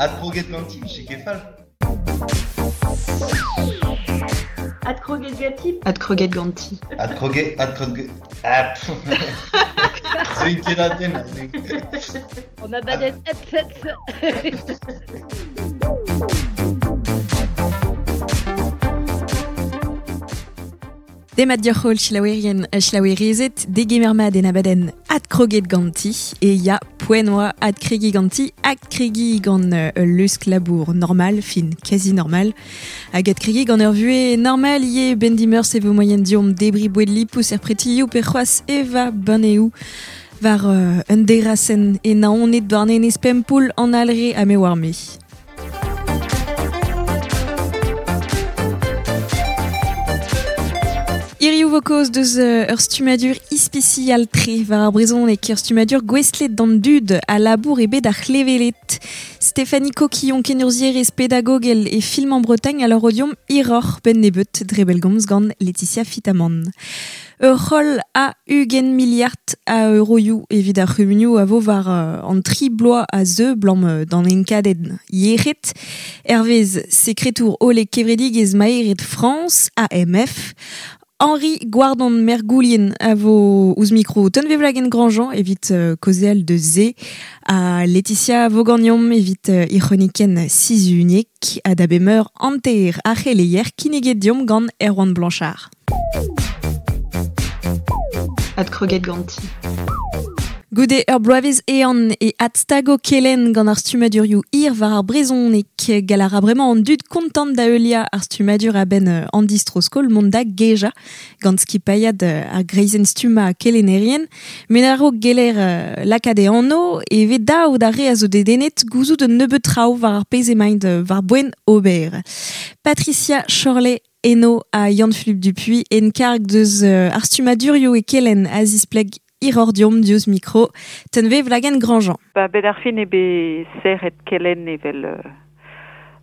Adkroget ganti, vije ket fall. Adkroget ganti. Adkroget ganti. Adkroget, adkroget... Ah, pff. Zeuin ket a-benn, aze. On a badet hep, hep. Demat deoc'h holl selaouerien ha selaouerezed, degemer mat en abadenn adkroget ganti, e ya poent oa adkregiñ ganti, adkregiñ gant ul lusk labour normal, fin quasi normal, hag adkregiñ gant ur vuhez normal ivez benn dimeurzh e vo moaien deomp debriñ boued lipous er pretioù pe c'hoazh evañ banneoù war un derasenn e Naoned, Douarnenez, Pempoull, an Alre ha me oar-me. Hiriv vo kaoz deus ur stummadur ispisial-tre war ar brezhoneg, ur stummadur gouestlet d'an dud a labour e bed ar c'hleveled. Stéphanie Coquillon, kenurzhierez pedagogel e Film en Bretagne, a lâro deomp hiroc'h benn nebeut dre bellgomz gant Laetitia Fitamant. Ur c'holl a 20 miliard a euroioù evit ar c'humunioù a vo war an tri bloaz a zeu 'blam d'an enkadenn yec'hed. Hervez sekretour hollek kevredigezh maered Frañs, AMF, Henri Gwardon Mergoulien a vo ouzh mikro Tunvezh Grandjean evit kaozeal deus se ha Laetitia Vogagnon evit he c'hronikenn sizhuniek ha da bemeur hanter ar c'heleier kinniget deomp gant Erwan Blanchard. Adkroget ganti. Goude ur bloavezh ehan e adstago kelenn gant ar stummadurioù hir war ar brezhoneg. Gall a ra bremañ an dud kontant da heuliañ ar stummadur a-benn an distro-skol mont da gejañ gant skipailhad ar greizenn stummañ kelennerien. Met a-raok geller lakaat e anv e vez dav d'ar re a zo dedennet gouzout un nebeud traoù war ar pezh emaint war-boent ober. Patricia Chorley Eno ha Yann-Philippe Dupuy en karg deus ar stummadurioù e kelenn a zispleg hiroc'h deomp diouzh mikro Tunvezh Wlagen-Grandjean. Ba bet ar fin eo bet serret kelenn evel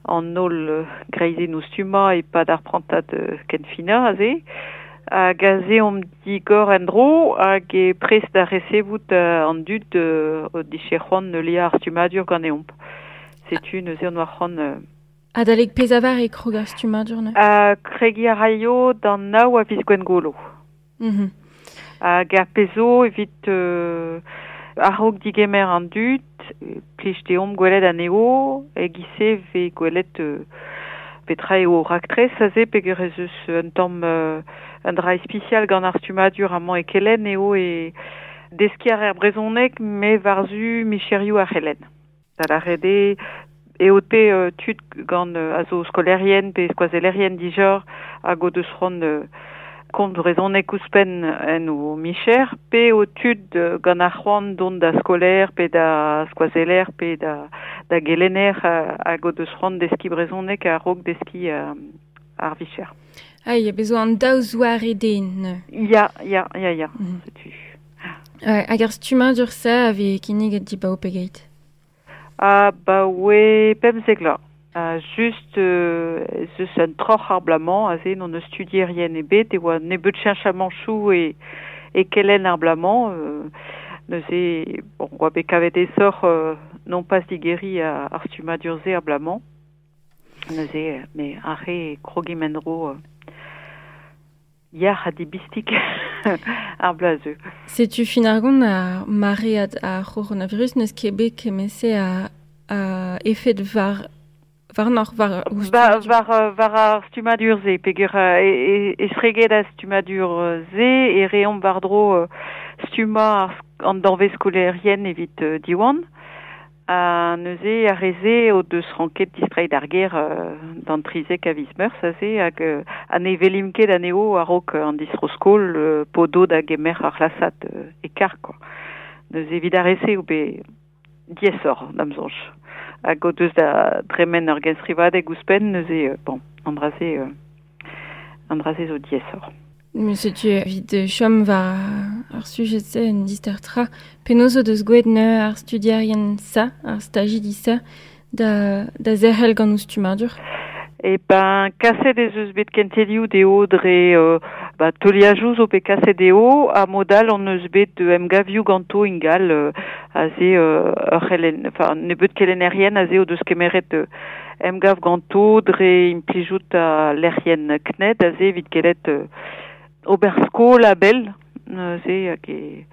an holl greizennoù stummañ e-pad ar prantad kenfinañ aze. Hag aze omp digor en-dro hag e prest da resevout an dud o dije c'hoant heuliañ ar stummadur ganeomp. Setu neuze on oa c'hoant Adalek pezavar e krog ar stummadur neuze? Kregiñ a raio d'an nav a viz Gwengolo. Hag ar pezh zo evit a-raok digemer an dud, plij deomp gwelet anezho, e-giz-se 'vez gwelet petra eo o raktres aze peogwir ez eus un tamm un dra ispisial gant ar stummadur amañ e Kelenn eo e deskiñ a raer brezhoneg met war-zu micherioù ar c'helenn. Da lâret eo eo te tud gant a zo skolaerien pe skoazellerien dija hag o deus c'hoant komz brezhoneg ouzhpenn en o micher pe eo tud gant ar c'hoant dont da skolaer pe da skoazeller pe da da gelenner hag o deus c'hoant deskiñ brezhoneg a-raok deskiñ ar vicher. Ah ya, bez zo an daou zoare den neuze. Ya, ya, ya, ya, setu. Hag ar stummadur-se a vez kinniget dibaoe pegeit? Abaoe pemzek vloaz. Just ez eus un troc'h ar bloaz-mañ aze n'hon eus studierien ebet e oa nebeut cheñchamanchoù e e kelenn ar bloaz-mañ. Neuze bon oa bet kavet aesoc'h non pas digeriñ ar stummadur-se ar bloaz-mañ. Neuze me ar re krogimp en-dro yac'h ha dibistik ar bloaz zeu. Setu fin ar gont ar maread ar c'horonavirus n'eus ket bet kement-se a, a efed war warnoc'h war Ba, war, war ar stummadur-se peogwir e, e, estreget ar stummadur-se e reomp war-dro stummañ an danvez skolaerien evit Diwan. Ha neuze ar re-se o deus ranket distreiñ d'ar gêr d'an 13 a viz Meurzh aze hag ha ne welimp ket anezho a-raok an distro-skol p'o do da gemer ar c'hlasad e karg kwa. Neuze evit ar re-se eo bet diaesoc'h da'm soñj. Hag o deus da dremen ur genstrivadeg ouzhpenn neuze bon an dra-se an dra-se zo diaesoc'h. Setu evit chom war ar sujed-se un dister tra. Penaos o deus gwelet neuze ar studierien sa, ar stajidi sa, da, da zerc'hel gant o stummadur? E ben, kaset ez eus bet kentelioù dezho dre Ba, teuliajoù zo bet kaset eo, ha modal on eus bet emgavioù ganto ingal aze ur c'helen, enfin, nebeut kelennerien aze o deus kemeret emgav ganto dre implijout a lec'hien CNED aze evit kelet ober skol a bell, neuze hag e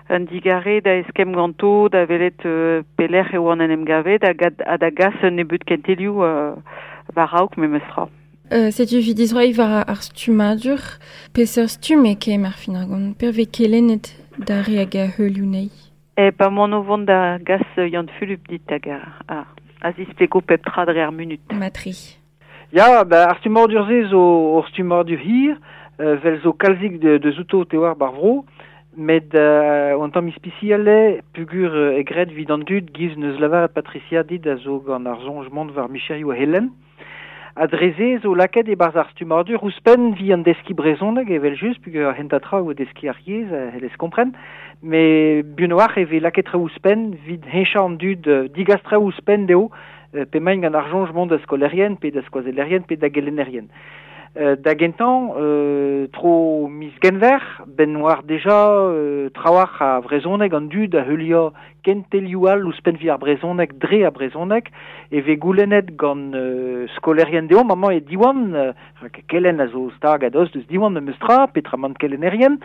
un digare da eskemm ganto da welet pelec'h e oan en emgavet hag ha da gas un nebeut kentelioù war raok memestra. Setu evit dizroiñ war ar stummadur, peseurt stumm e kemm ar fin ar gont, per vez kelennet da re hag a heulioù nei? E pa m'on o vont da gas Yann Fulup dit hag a zisplego pep tra dre ar munut. Matri. Ya, ba, ar stummadur-se zo ur stummadur hir, vel zo kalzik de zouto te war bar vro, met an tamm ispisial eo, pugur e graet evit an dud giz neus lavaret Patricia dit a zo gant ar soñj mont war micherioù Helen. Ha dre se zo lakaet e-barzh ar stummadur ouzhpenn vi an deskiñ brezhoneg evel-just, pugur ar hentañ tra eo deskiñ ar yezh, c'hellez kompren, met buan a-walc'h e vez lakaet traoù ouzhpenn evit heñchañ an dud, digas traoù ouzhpenn dezho, p'emaint gant ar soñj mont da skolaerien pe da skoazellerien pe da gelennerien. Da gentañ, tro miz Genver, benn oar deja trawalc'h a vrezhoneg an dud a heuliañ kentelioù all ouzhpenn evit ar brezhoneg dre ar brezhoneg, e vez goulennet gant skolaerien deomp amañ e Diwan, rak kelenn a zo stag a-dost deus Diwan memes tra, petramant kelennerien,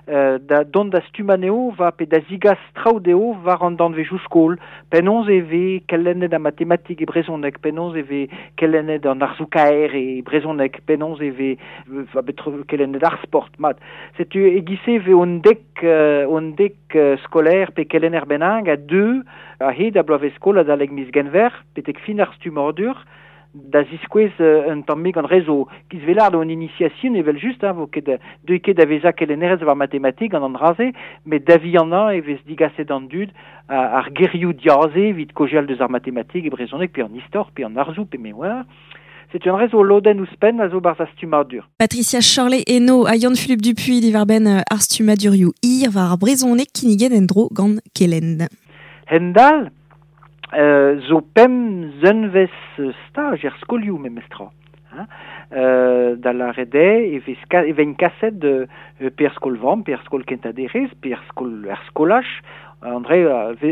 da dont da stummañ anezho va pe da zigas traoù dezho war an danvezioù skol, penaos e vez kelennet ar matematik e brezhoneg, penaos e vez kelennet an arzoù-kaer e brezhoneg, penaos e vez va bet kelennet ar sport, mat. Setu e-giz-se e vez un dek skolaer pe kelenner bennak a deu a-hed a bloavezh-skol adalek miz Genver betek fin ar stummadur, da ziskouez un tammig an re zo kizvelard an initiation evel-just, hein, vo ket deuit ket da vezañ kelennerez war matematik gant an dra-se, met da vihanañ e vez digaset an dud ar gerioù diaze evit kaozeal deus ar matematik e brezhoneg pe an istor pe an arzoù pe me oar. Setu an re zo lodenn ouzhpenn a zo barzh ar stummadur. Patricia Chorley eno ha Yann-Philippe Dupuy diwar-benn ar stummadurioù hir war ar brezhoneg kinniget en-dro gant Kelenn. Hendal zo pemp zunvezh staj er skolioù memestra. Hein? Da lâret eo e vez e vegn kaset pe er skol-vamm, pe er skol kentañ-derez, pe er skol er skolaj. André,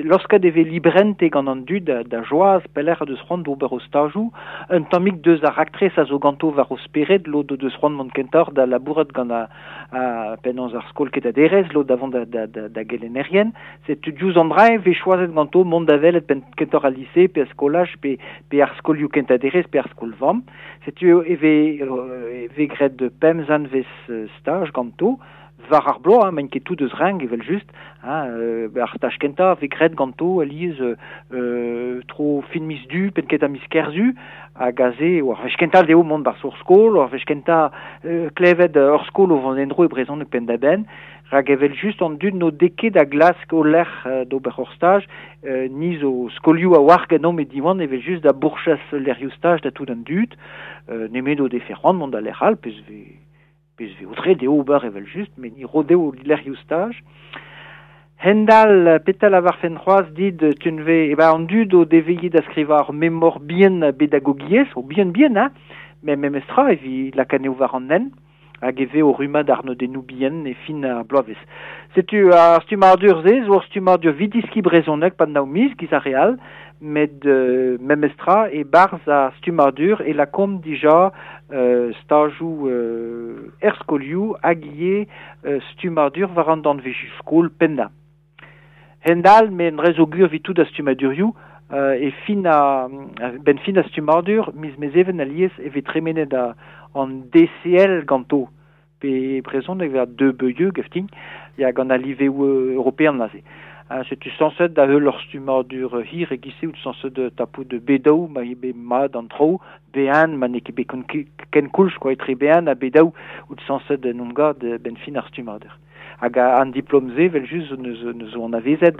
laosket e vez librente gant an dud da joaz pelec'h deus c'hoant d'ober o stajoù. Un tammig deus ar raktres a zo ganto war o spered, lod o deus c'hoant mont kentoc'h da labourat gant a penaos ar skol kentañ-derez, lod da vont da gelennerien. Setu diouzh an dra e vez choazet ganto mont da welet penn kentoc'h al lise, pe ar skolaj, pe ar skolioù kentañ-derez, pe ar skol-vamm. Setu e vez graet pemp zanvez staj ganto, war ar bloaz, hein, maint ket tout eus renk evel-just, hein, ar staj kentañ vez graet ganto alies tro fin miz Du, penn kentañ miz Kerzu, hag aze eo ar wech kentañ dezho mont barzh ur skol, ar wech kentañ klevet ur skol o vont en-dro e brezhoneg penn-da-benn, rak evel-just an dud n'o dez ket da glask o lec'h d'ober ur staj, ni zo skolioù a-walc'h ganeomp e Diwan evel-just da bourchas lec'hioù staj da tout an dud, nemet o defe c'hoant mont da lec'h all, pezh vez pezh vez aotreet dezho ober evel-just, met ni ro dezho lec'hioù staj. Hendal, petra lavarfen c'hoazh dit, tunve, e ba an dud o deveilhe da skrivañ ur memor bihan pedagogiezh, o bihan-bihan, hein, met memestra evit lakaat anezho war an hent, hag e vez o rummad arnodennoù bihan e fin ar bloavezh. Setu ar stummadur-se zo ur stummadur evit deskiñ brezhoneg pad nav miz, giz ar re all, met memestra e-barzh ar stummadur e lakaomp dija stajoù er skolioù hag ivez stummadur war an danvezioù skol pennañ. Hend-all, met dre zo gwir evit tout ar stummadurioù, e fin a benn fin ar stummadur, miz Mezheven alies e vez tremenet an DCL ganto, pe brezhoneg vez deux beuieu gaftin, ya gant al liveoù european aze. Setu sañset da heul ur stummadur hir e-giz-se out sañset tapout B2 ma eo bet mat an traoù, B1 ma n'eo ket bet ken koulz quoi, etre B1 ha B2 out sañset en omp gad benn fin ar stummadur. Hag an diplom-se evel-just neus zo anavezet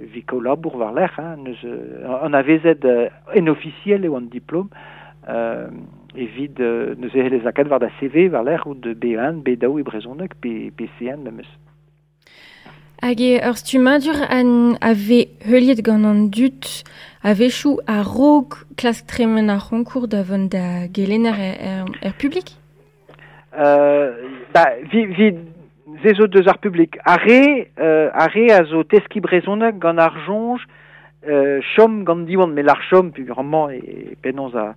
evit kaout labour war-lerc'h, hein, neus anavezet en ofisiel eo an diplom, evit neuze c'hellez lakaat war da CV war-lerc'h out B1, B2 e brezhoneg pe C1 memes. Hag eo ur stummadur a vez heuliet gant an dud a-wechoù a-raok klask tremen ar c'honkour da vont da gelenner er publik? Ba, vi ze zo deus ar publik. Ar re a zo teski brezhoneg gant ar soñj chom gant Diwan, met ar chom purement e penaos a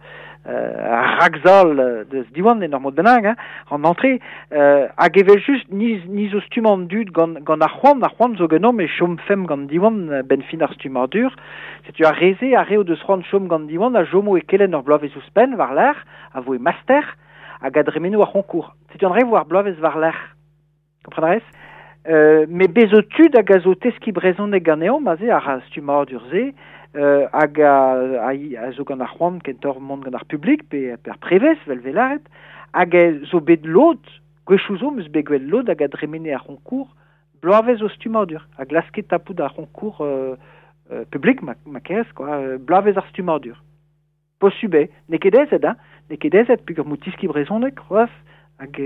ragzal deus Diwan en ur mod bennak, hein, an entrée, hag evel just ni zo stummañ an dud gant ar c'hoant zo ganeomp e chom fem gant Diwan ben fin ar stummadur. Setu ar re-se, ar re o deus c'hoant chom gant Diwan a jomo e kelenn ur bloavezh ouzhpenn war-lerc'h, a vo e master, hag a dremeno ar c'honkour. Setu an re vo ar bloavezh war-lerc'h. Kompren a rez? Me bezo tud hag a zo teski brezhoneg ganeomp aze ar stummadur-se, hag a zo gant ar c'hoant kentoc'h mont gant ar publik pe ar prevez, vel velaret, hag a zo bet lod, gwechoù zo meus bet gwell lod hag a dremene ar c'honkour bloavezh o stummadur, a glaske tapout ar c'honkour publik ma kerez, quoi, bloavezh ar stummadur. Posub eo, n'eo ket aezet, hein, n'eo ket aezet peogwir m'o tiski brezhoneg, c'hoazh, hag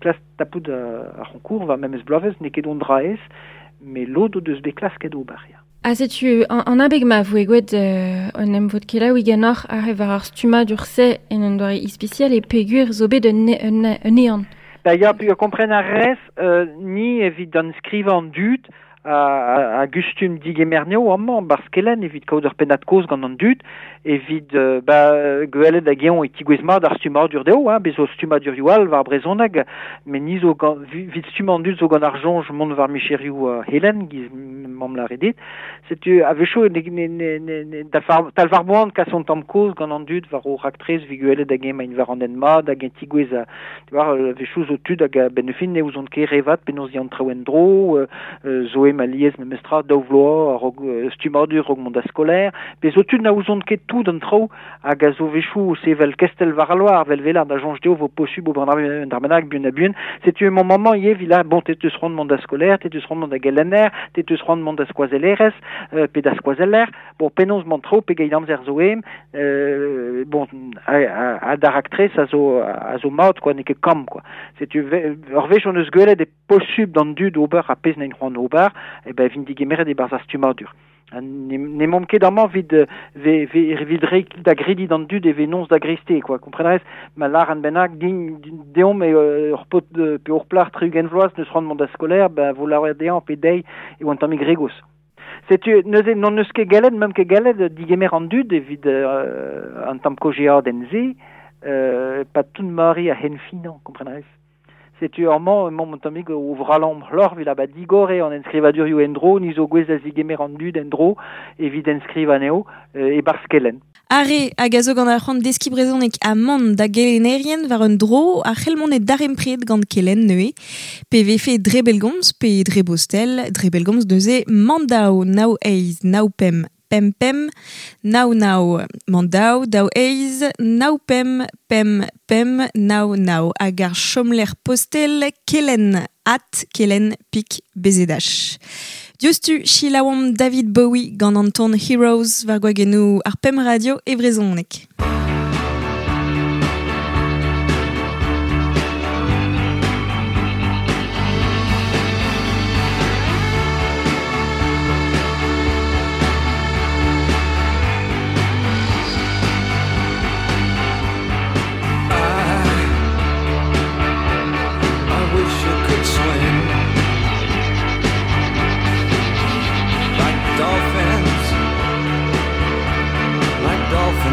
klas tapout ar c'honkour va memes bloavezh, n'eo ket on dra aes, met lod o deus bet klasket ober, ya. Ha setu an abeg ma voe gwelet an emvod kelaouiñ ganeoc'h ar re war ar stummadur-se en un doare ispisial e peogwir zo bet un ehan. Ba ya, peogwir kompren ar rez, ni evit an skrivañ an dud, a gustum digemerneo amañ barzh kelenn evit kaout ur pennad kozh gant an dud, evit ba gwelet hag eñ e tigouez mat ar stummadur dezho, hein, bez zo stummadurioù all war brezhoneg, met ni zo gant vit stummañ an dud zo gant ar soñj mont war micherioù helen, giz mamm lâret dit. Setu a-wechoù tal war boan kas on tamm kozh gant an dud war o raktres evit gwelet hag eñ maint war an hent mat hag eñ tigouez war a-wechoù zo tud hag a-benn ar fin ne ouzont ket re vat penaos ya an traoù en-dro, zo eo ma lies memestra daou vloaz a-raok stummadur a-raok mont da skolaer, pe zo tud na ouzont ket tout an traoù hag a zo wechoù sevel kestel war al loar, vel velar da soñj dezho vo posubl ober an dra bennak buan ha buan. Setu emañ mañ ivez evit la, bon, te teus c'hoant mont da skolaer, te teus c'hoant mont da gelenner, te teus c'hoant mont da skoazellerez, pe da skoazeller, bon, penaos mont traoù pegeit amzer zo em, bon, a d'ar raktres a zo mat, quoi, n'eo ket kamm, quoi. Setu ur wech hon eus gwelet e posubl d'an dud ober ar pezh n'int c'hoant ober, e ben vin digemeret e-barzh ar stummadur. N'emaomp ket amañ evit reiñ da grediñ d'an dud e venoz da greste, quoi, kompren a rez? Ma lâran bennak din deomp eo ur paotr pe ur plac'h 30 vloaz neus c'hoant mont da skolaer, ben vo lâret dezhañ pe dezhi e oan tammig regos. Setu neuze n'hon eus ket gallet, meump ket gallet digemer an dud evit an tamm kojeadenn-se, pa tout mari a hen finañ, kompren a rez? Setu amañ emaomp un tammig o vrallañ c'hloc'h evit ba digor eo an enskrivadurioù en-dro, ni zo gouez da zigemer an dud en-dro evit enskrivañ anezho e-barzh kelenn. Ar re hag a zo gant ar c'hoant deskiñ brezhoneg ha mont da gelennerien war un dro a c'hell mont e darempred gant kelenn neuze, pe vefe dre bellgomz pe dre bostel, dre bellgomz neuze mandaou nav eizh nav pemp pemp pemp nav nav mandaou daou eizh nav pemp pemp pemp nav nav hag ar chomlec'h postel kelenn at kelenn pik bzh. Diouzhtu selaouomp David Bowie gant an ton Heroes war gwagennoù ar pemp radio e brezhoneg.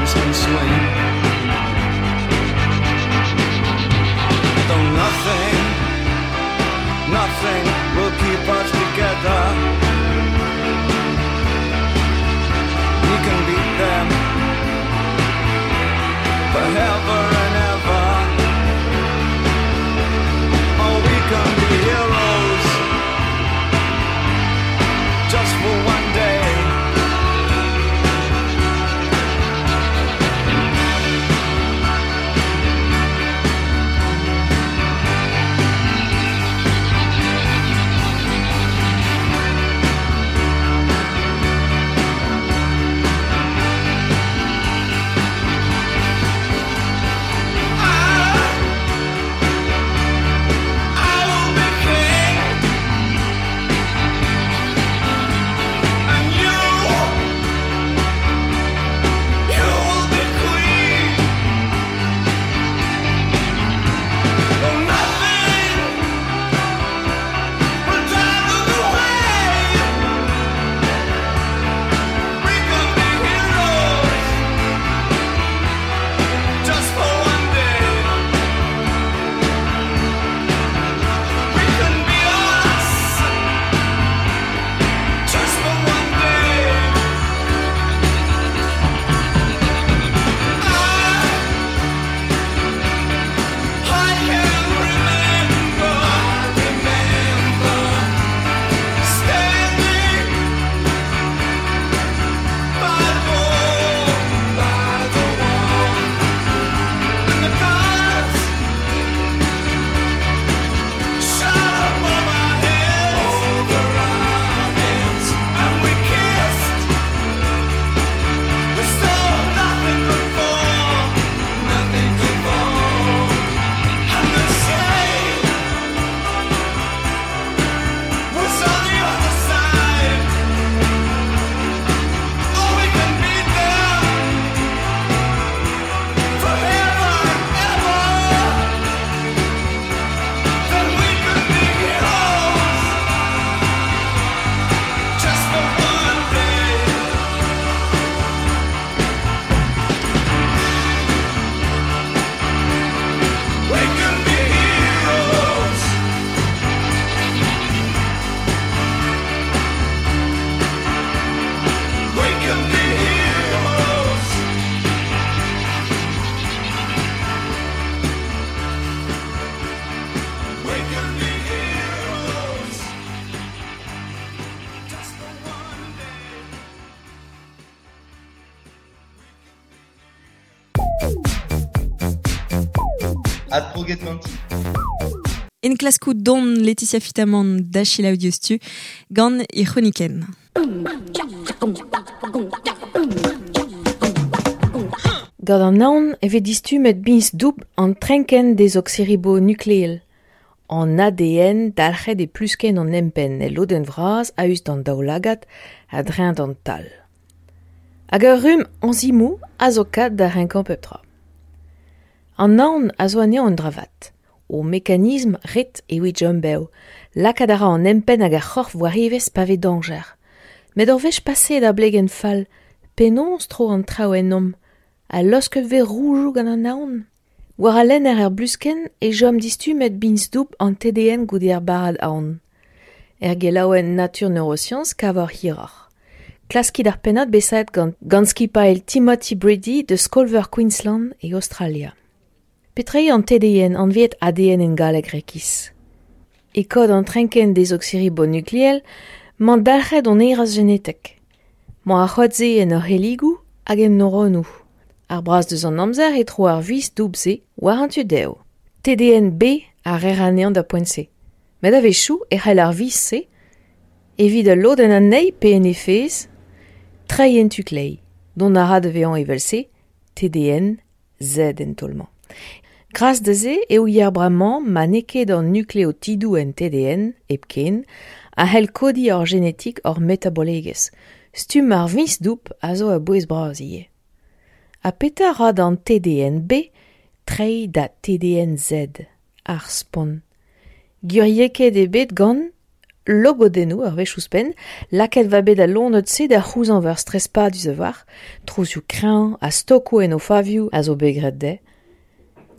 Can swim. Though nothing, nothing will keep us together. We can beat them forever and ever. Oh, we can be heroes just for one day. Adkroget ganti. Enklaskou don Laetitia Fitamant da selaou diouzhtu gant he c'hronikenn. Gant an aon e vez distummet biñs doubl an trenkenn dezoksiribonukleel. An ADN dalc'het e pluskenn an empenn el lodenn vras a-us d'an daoulagad a-dreñv d'an tal. Hag ur rumm enzimoù a zo kat da renkañ pep tra. An aon a zo anezhañ un dra vat. O mekanism ret evit chom bev. Lakaat a ra an empenn hag ar c'horf war evezh pa vez dañjer. Met ur wech paseet ar blegenn fall, penaos tro an traoù ennomp? Ha laosket 'vez roudoù gant an aon? War a lenner er bluskenn e chom distummet biñs-doubl an TDN goude ar barrad aon. Er gelaouenn Nature Neuroscience kavoc'h hiroc'h. Klaskit ar pennad bet savet gant gant skipailh Timothy Brady deus Skol-veur Queensland e Aostralia. Petra eo an TDN anvet ADN en galleg rekis? E kod an trenkenn dezoksiribonukleel 'mañ dalc'het hon hêrezh genetek. 'Mañ ar c'hoad-se en hor c'helligoù hag en neuronoù. Ar braz deus an amzer e tro ar viz doubl-se war an tu dezho. TDN-B a reer anezhañ da poent-se. Met a-wechoù e c'hell ar viz-se, evit ul lodenn anezhi pe en he fezh, treiñ en tu kleiz. Dont a ra da vezañ evel-se TDN-Z en taol-mañ. Gras da se e ouier bremañ ma n'eo ket an nukleotidoù en TDN hepken a c'hell kodiñ hor genetik hor metabolegezh. Stumm ar viñs-doubl a zo a-bouez-bras ivez. Ha petra 'ra d'an TDN-B treiñ da TDN-Z, ar spont? Gwiriekaet eo bet gant logodennoù ur wech ouzhpenn, lakaet 'va bet al loened-se da c'houzañv ur stres padus a-walc'h, trouzioù kreñv ha stokoù en o favioù a zo bet graet dezhe.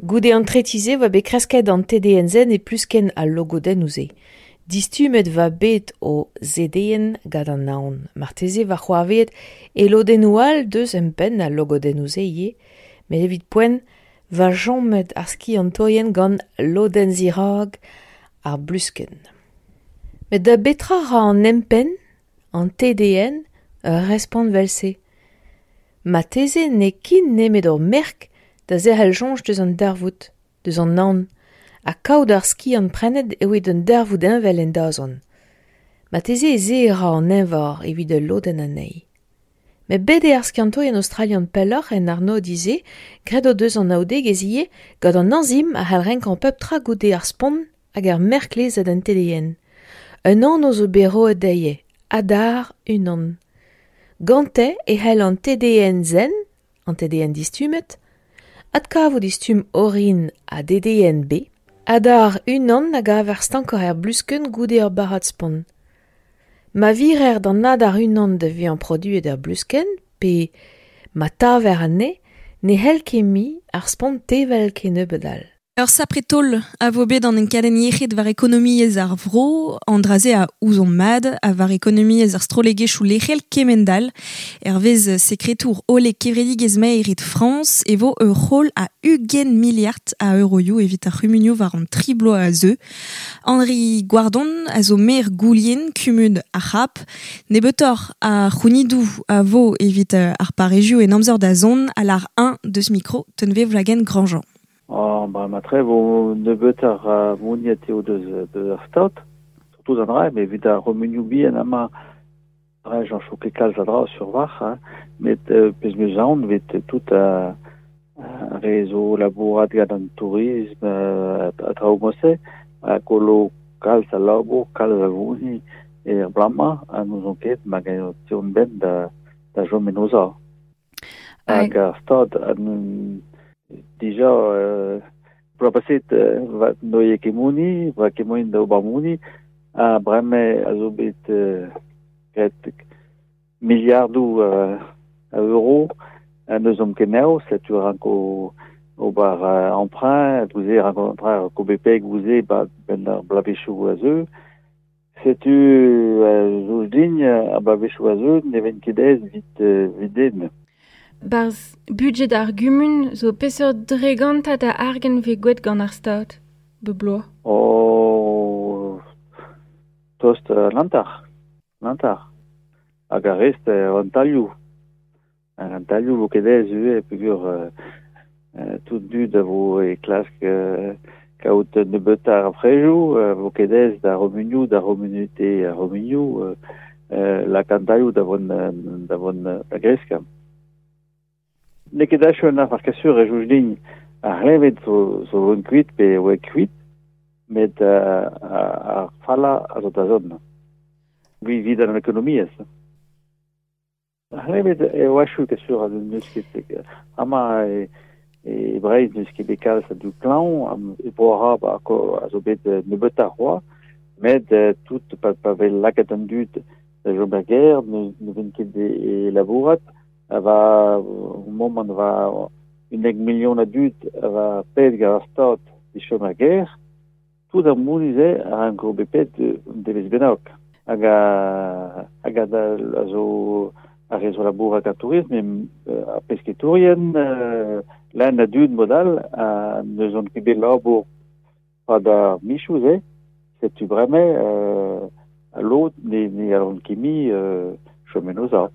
Goude an tretiñ-se 'oa bet kresket an TDN-Z e pluskenn al logodennoù-se. Distummet 'va bet o ZDN gant an aon. Marteze 'va c'hoarvezet e lodennoù all deus empenn al logodennoù-se ivez, met evit poent 'va chomet ar skiantourien gant lodenn zirak ar bluskenn. Met da betra 'ra an empenn, an TDN, ur respont 'vel-se? Marteze n'eo ket nemet ur merk da zerc'hel soñj deus an darvoud, deus an aon, ha kaout ar skiant prenet evit un darvoud heñvel en dazont. Marteze ez eo e ra an eñvor evit ul lodenn anezhi. Met bet eo ar skiantourien aostralian pelloc'h en arnodiñ-se, graet o deus anaoudegezh ivez gant an enzim a c'hall renkañ pep tra goude ar spont hag ar merk lezet en TDN. Un anv zo bet roet dezhe, Adar unan. Gante e c'hell an TDN-zen, an TDN distummet, adkavout e stumm orin ha DDN-B, Adar unan a gaver stankoc'h er bluskenn goude ur barrad spont. Ma virer d'an adar unan da vezañ produet er bluskenn pe ma taver anezhe, ne c'hell ket mui ar spont tevel kennebeut all. Ur sapre taol a vo bet an enkadenn yec'hed war ekonomiezh ar vro, an dra-se a ouzomp mat, ha war ekonomiezh ar strollegezhioù lec'hel kemend-all. Hervez sekretour hollek kevredigezh maered Frañs e vo ur c'holl a 20 miliard a euroioù evit ar c'humunioù war an tri bloaz a zeu. Henri Goardon a zo maer Goulien, kumun ar C'hab. Nebeutoc'h a c'hounidoù a vo evit ar parrezioù en amzer da zont a lâr eñ deus mikro Tunvezh Wlagen-Grandjean. Oh, ba matre vo nebeut ar moniet eo deus deus ar stad, surtout an dra, met evit ar c'humunioù bihan amañ, ra j'en chou ket kalz a dra sur war, hein, met pezh 'meus aon 'vit tout ar re zo labourat gant an tourism ha traoù mod-se, a gollo kalz a labour, kalz a vouni er bloaz-mañ, ha n'ouzon ket ma teuont benn da da chom en o sav. Hag ar stad dija bloaz paset va n'oie ket moni, va ket moaien da ober moni, ha bremañ a zo bet graet miliardoù a euro ha n'eus ket anezho, setu ranko ober emprunt, gouze ranko bet gouze ba benn ar bloavezhioù a zeu. Setu zo din ar bloavezhioù a zeu ne ven ket aes evit evit den. Barzh budget ar gumun zo peseurt dregantad a argant 'vez gwelet gant ar Stad bep bloaz? Oh, tost an hanter, an hanter. Hag ar rest an tailhoù. An tailhoù vo ket aes ivez peogwir Tout dud a vo e klask kaout nebeut ar frejou, vo ket aes d'ar c'humunioù, d'ar c'homunite ar c'humunioù, lakaat daioù da vont da vont da greskañ. N'eo ket achu an afer kasur e soñj din ar c'hleñved zo zo vont kuit pe oa kuit, met ar fallañ a zo da zont. Evit an ekonomiezh. Ar c'hleñved eo achu kasur n'eus ket amañ e Breizh n'eus ket bet kalz a dud klañv, e Bro-Arab a zo bet nebeutoc'h c'hoazh, met tout pa pa vez lakaet an dud da chom er gêr ne vent ket e labourat, a va momant va 11 milion a dud a va paeet gant ar Stad da chom er gêr, tout ar mouniz-se a ranko bet paeet un devezh bennak. Hag a hag a a zo ar re zo labourat gant tourism, ar pesketourien, lan a dud mod all, ha n'eus ket bet labour pad ar michoù-se, setu bremañ lod ne ne allont ket mui chom en o sav.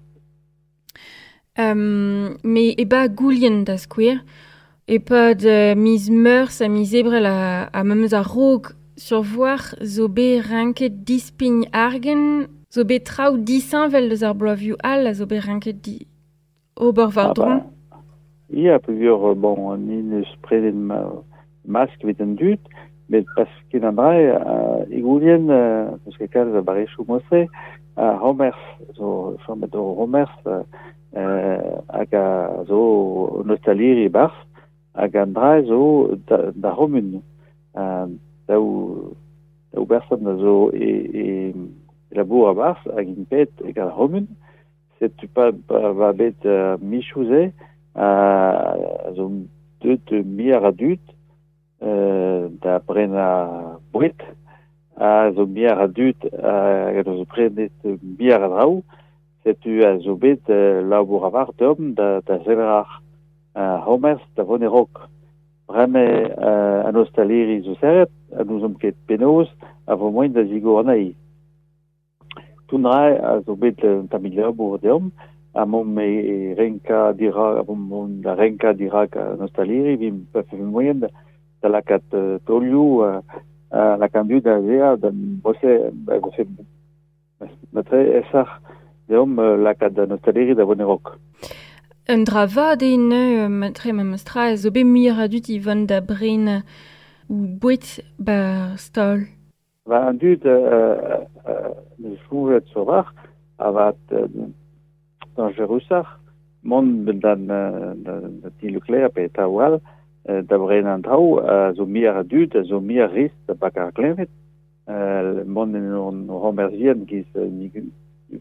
Me eba goulien da skouer, e-pad miz Meurzh ha miz Ebrel ha memes a-raok survoar zo bet renket dispign argant, zo bet traoù disheñvel deus ar bloavezhioù all a zo bet renket di ober war-dro. Ah bah, ya, peogwir bon, ni n'eus prenet mask evit an dud, met pas ket an dra e goulien, n'eus ket kalz a barrezioù mod-se, ar c'homers zo chomet o c'homers hag a zo un ostaliri e-barzh, hag an dra zo d'ar c'homun. Daou berson a zo e labour a-barzh hag int bet gant ar c'homun. Setu pa va bet michoù-se a zo deuet muioc'h a dud da brenañ boued, a zo muioc'h a dud hag a zo prenet muioc'h a draoù. Setu a zo bet labour a-walc'h deomp da sevel ar c'homers da vont e-raok. Bremañ an ostaliri zo serret ha n'ouzomp ket penaos a vo moaien da zigor anezhi. Tout dra a zo bet un tammig labour deomp ha momp e renkañ dirak mont da renkañ dirak an ostaliri evit pa vefe moaien da lakaat taolioù lakaat an dud da azezañ da bose ba vefe matre aesoc'h deomp lakaat an ostaleri da vont e-raok. Un dra vat eo neuze matre memes tra zo bet muioc'h a dud i vont da brenañ o boued 'ba stal. Ba an dud neus soñjet sur-walc'h avat dañjerusoc'h mont d'an da ti Leclerc pe traoù all da brenañ an traoù a zo muioc'h a dud, a zo muioc'h risk da bakañ ar kleñved. Mont en hon c'homers-vihan giz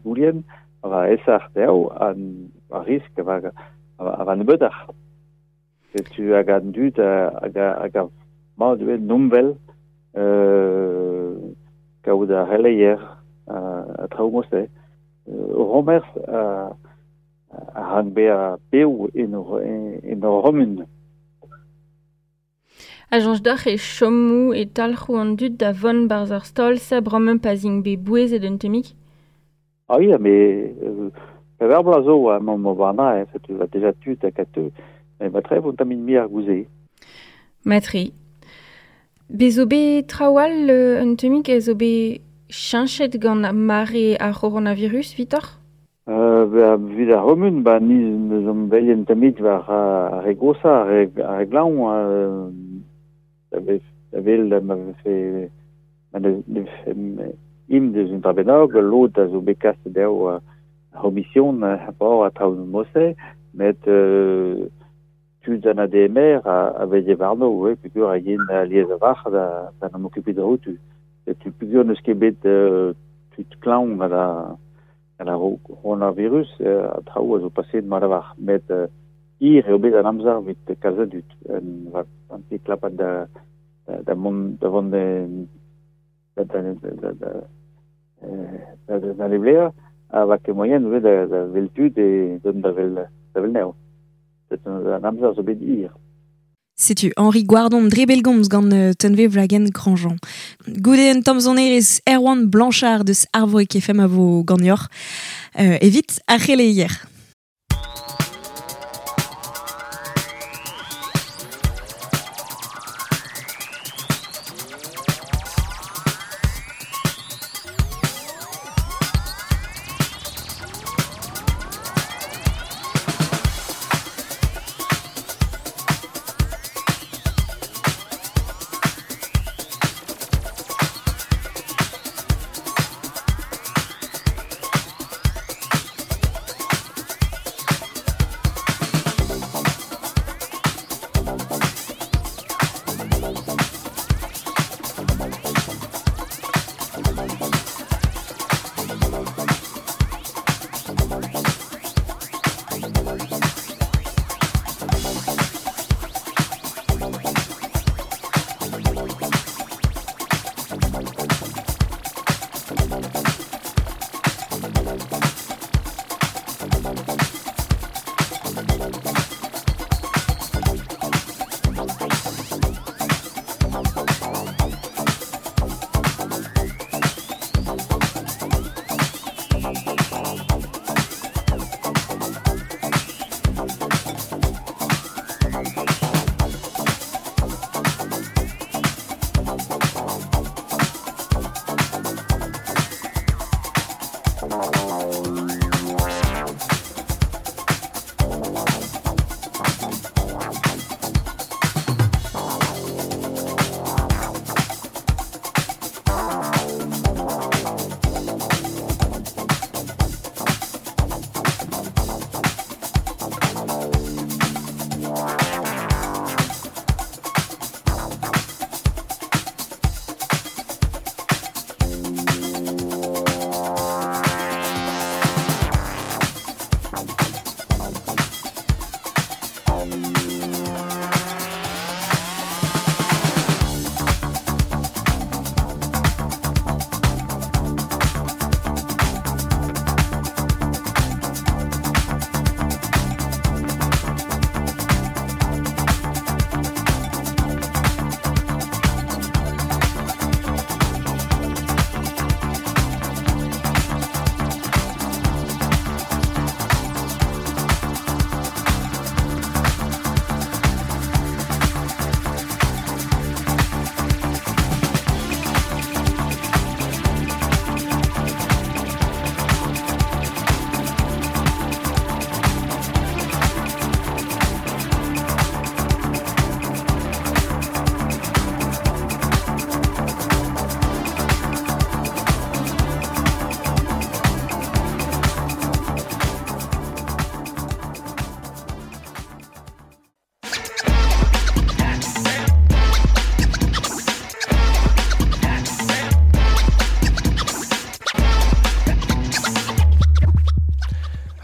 Goulien a va aesoc'h dezho ar risk a va nebeutoc'h. Setu hag an dud hag a mat eo nomvel kaout ar c'heleier ha traoù mod-se. O c'homers a rank bezañ bev en hor c'homun. A soñj deoc'h e chomo e talc'ho an dud da vont 'barzh ar stal-se bremañ pa 'z int bet bouezet un tammig? Ah ya, mais pevar bloaz zo emaomp o warnañ, setu va deja tud hag a teu. Met matre vo un tammig muioc'h gouze. Matre. Bez zo bet traoù all un tammig a zo bet cheñchet gant mare ar c'horonavirus evitoc'h? Evit ar c'homun, ba ni neus omp bet un tammig war ar re goshañ, ar re glañv, da wel ma vefe ma ne vefe int deus un dra bennak, lod a zo bet kaset dezho ar c'homision a traoù mod-se, met tud an ADMR a veze warno, ouais, peogwir a yen alies a-walc'h da n'am okupiñ dac'houtu. Setu peogwir n'eus ket bet tud klañv gant ar coronavirus, an traoù a zo paseet mat a-walc'h. Met hir eo bet an amzer evit kalz a dud. An ti klapat da mont da vont da leblea a va ket moaien ivez da wel tud e dont da wel anezho. Setu an amzer zo bet hir. Setu Henri Gwardon dre bellgomz gant Tunve Wlagen Grandjean. Goude un tamm sonerezh Erwan Blanchard deus Arvorig FM a vo ganeoc'h evit ar c'heleier.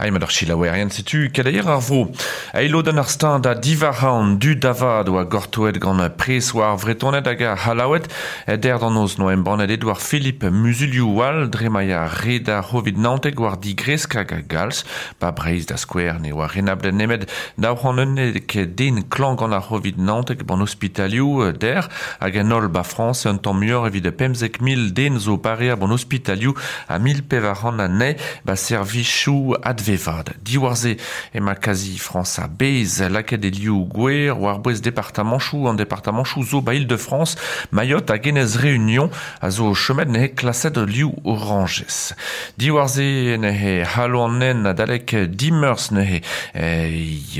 Ai ma d'ar chilaouerien setu keleier ar vro. Eilo den ar stand a divar an du davad oa gortoet gant pres war vretonet hag ar halaouet der d'an oz no embannet Edouard Philippe Musulioù wal dre ma ya red ar c'hovid nanteg war digresk hag a galz ba breiz da skouer ne oa renablet nemet daou c'hant unnek den klank gant ar c'hovid nanteg ban ospitalioù der hag an holl ba Frans un tamm muioc'h evit 15 000 den zo parea ban ospitalioù a mil pevar c'hant anezhe ba servichoù advevad. Diwarze ema kazi Frans a bez lakaet e liou gwer war bouez departamanchou an departamanchou zo ba Île-de-France, Mayotte hag Enez Réunion a zo chomet nehe klaset liou oranges. Diwarze nehe halo an nen adalek dimeurs nehe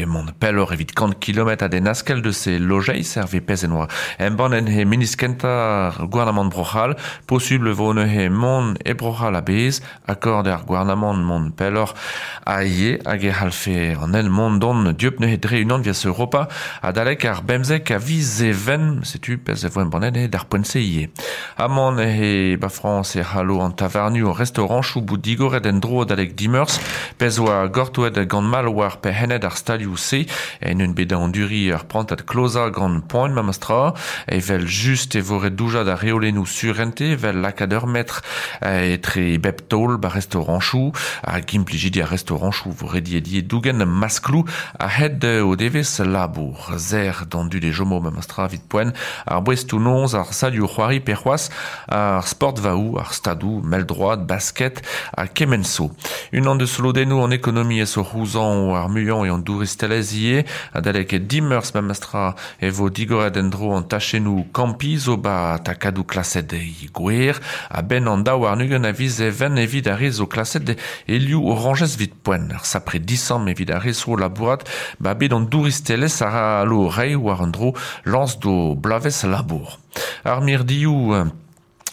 mont pellor evit kant kilometr a den askel de se lojeiz herve pez en oa. Embann en he ministr kentañ gouarnamant Bro-C'hall, posubl vo neuze mont e Bro-C'hall a-bezh, akord ar gouarnamant mont pelloc'h a ie hag e c'hallfe an el mont don dieub neuze dre unan vias Europa adalek ar bemzek a viz even, setu pezh e vo embannet eo d'ar poent-se ivez. Amañ neuze ba Frañs e c'hallo an tavarnioù ar restaoranchoù bout digoret en-dro adalek dimeurzh, pezh oa gortoet gant mall war perc'henned ar stalioù-se en un bet da anduriñ ur prantad klozañ gant poan memestra, evel just e vo ret doujañ d'ar reolennoù surente evel lakaat ur metr etre bep taol ba restaoranchoù hag implijidi ar restaoranchoù vo rediet ivez dougen maskloù a-hed o devezh labour. Serr d'an dud e chomo memestra evit poent ar boestoù-noz, ar salioù-c'hoari pe c'hoazh ar sportvaoù, ar stadoù, mell-droad, basket ha kement zo. Unan deus lodennoù an ekonomiezh o c'houzañv ar muiañ eo an douristelezh ivez. Adalek dimeurzh memestra e vo digoret en-dro an tachennoù kampiñ zo ba takadoù klaset e gwer a-benn an daou warn-ugent a viz Even evit ar re zo klaset e liv orañjez evit poent. Ar sapre disamm evit ar re zo labourat ba bed an douristelezh a c'hallo reiñ war un dro lañs d'o bloavezh labour. Ar mirdioù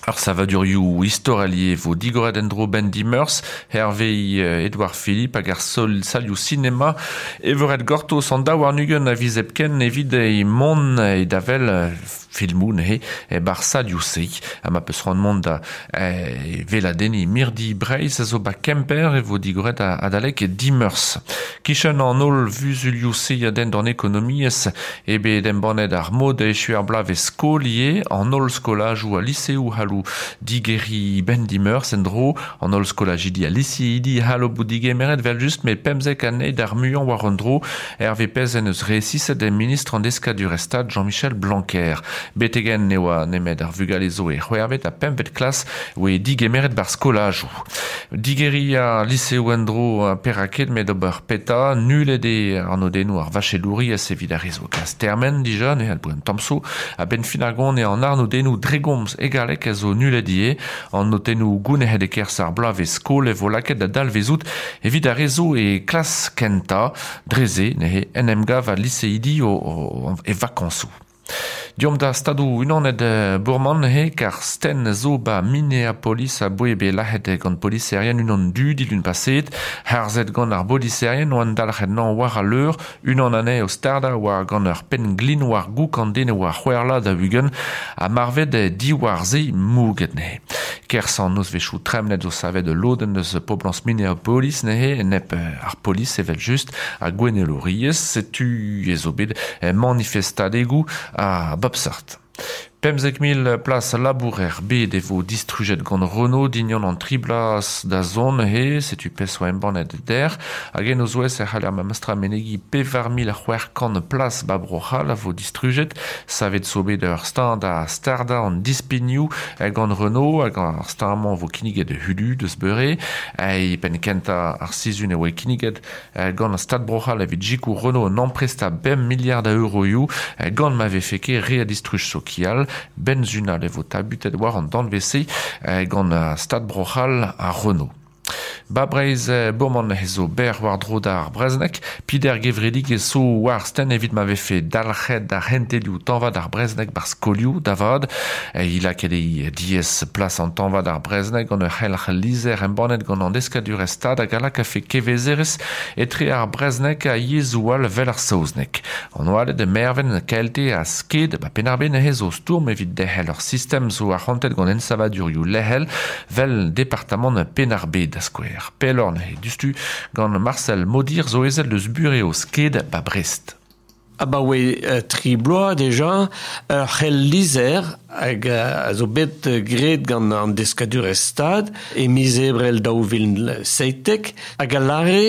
Ar savadurioù istorel ivez vo digoret en-dro 'benn dimeurzh, hervez Edouard Philippe hag ar salioù sinema e vo ret gortoz an daou warn-ugent a viz hepken evit mont da wel filmoù neuze e-barzh salioù-se. Ha ma peus c'hoant mont da weladenniñ mirdi Breizh a zo 'ba Kemper e vo digoret adalek dimeurzh. Kichen an holl vuzulioù-se a denn d'an ekonomiezh eo bet embannet ar mod da echuiñ ar bloavezh skol ivez, an holl skolajoù ha liseoù c'hallo digeriñ 'benn dimeurzh en-dro, an holl skolajidi ha liseidi c'hallo bout digemeret evel-just met 15 anezhe d'ar muiañ war un dro, hervez pezh en deus resiset ministr an Deskadurezh Stad Jean-Michel Blanquer. Betek-henn ne oa nemet ar vugale zo e c'hwec'hvet ha pempvet klas oe digemeret 'bar skolajoù. Digeriñ ar liseoù en-dro perak ket met ober petra, nullet eo arnodennoù ar vachelouriezh evit ar re zo klas termen dija, ne c'hall bout un tamm so. A-benn fin ar gont eo an arnodennoù dre gomz e galleg a zo nullet ivez. An notennoù gounezet e-kerzh ar bloavezh skol e vo lakaet da dalvezout evit ar re zo e klas kentañ. Dre-se neuze en em gav al liseidi e vakañsoù. Deomp da Stadoù-Unanet Bourman neuze, kar stenn zo 'ba Minneapolis aboe bet lazhet gant poliserien unan du dilun paseet. Harzet gant ar boliserien oant dalc'het 'nañ war al leur, unan anezhe o stardañ war gant ur penn-glin war gouk an den e oa c'hwec'h vloaz daou-ugent ha marvet diwar-se mouget neuze. Kerzh an nozvezhioù tremenet zo savet ul lodenn eus poblañs Minneapolis neuze enep ar polis evel-just ha gouennelouriezh. Setu ez zo bet manifestadegoù a bep seurt. 15,000 plas labour er bed e vo distrujet gant Renault dindan an tri bloaz da zont neuze, setu pezh oa embannet dec'h. Hag en o zouez e c'haller memestra menegiñ 4600 plas 'ba Bro-C'hall a vo distrujet. Savet zo bet ur steuñv da stardañ an dispignoù gant Renault hag ar steuñv-mañ vo kinniget hudu deus beure. E penn kentañ ar sizhun e oa kinniget Gant Stad Bro-C'hall evit sikour Renault un amprest a bemp miliard a euroioù gant ma vefe ket re a distruj sokial. Benzunal e vo tabutet war an danvez-se gant Stad Bro-C'hall ha Renault. Ba Breizh bourmant ez zo berr war-dro d'ar brezhoneg. Peder gevredigezh zo war stenn evit ma vefe dalc'het ar c'hentelioù tañva d'ar brezhoneg 'bar skolioù da vat. He lakaet eo diaes plas an tañva d'ar brezhoneg gant ur c'helc'h lizher embannet gant an deskadurezh Stad hag a lakafe kevezerezh etre ar brezhoneg ha yezhoù all 'vel ar saozneg. An Oaled, Mervent, KLT ha Sked ba Penn-ar-Bed neuze zo stourm evit derc'hel ur sistem zo arc'hantet gant ensavadurioù lec'hel 'vel departamant Penn-ar-Bed da skouer. er pelorn he dustu gant Marcel Modir zo ezel deus bureo sked ba Brest. Abaoe tri bloaz deja, ur c'hell lizer hag a zo bet graet gant an deskadurezh stad e miz ebrel 2017 hag a lare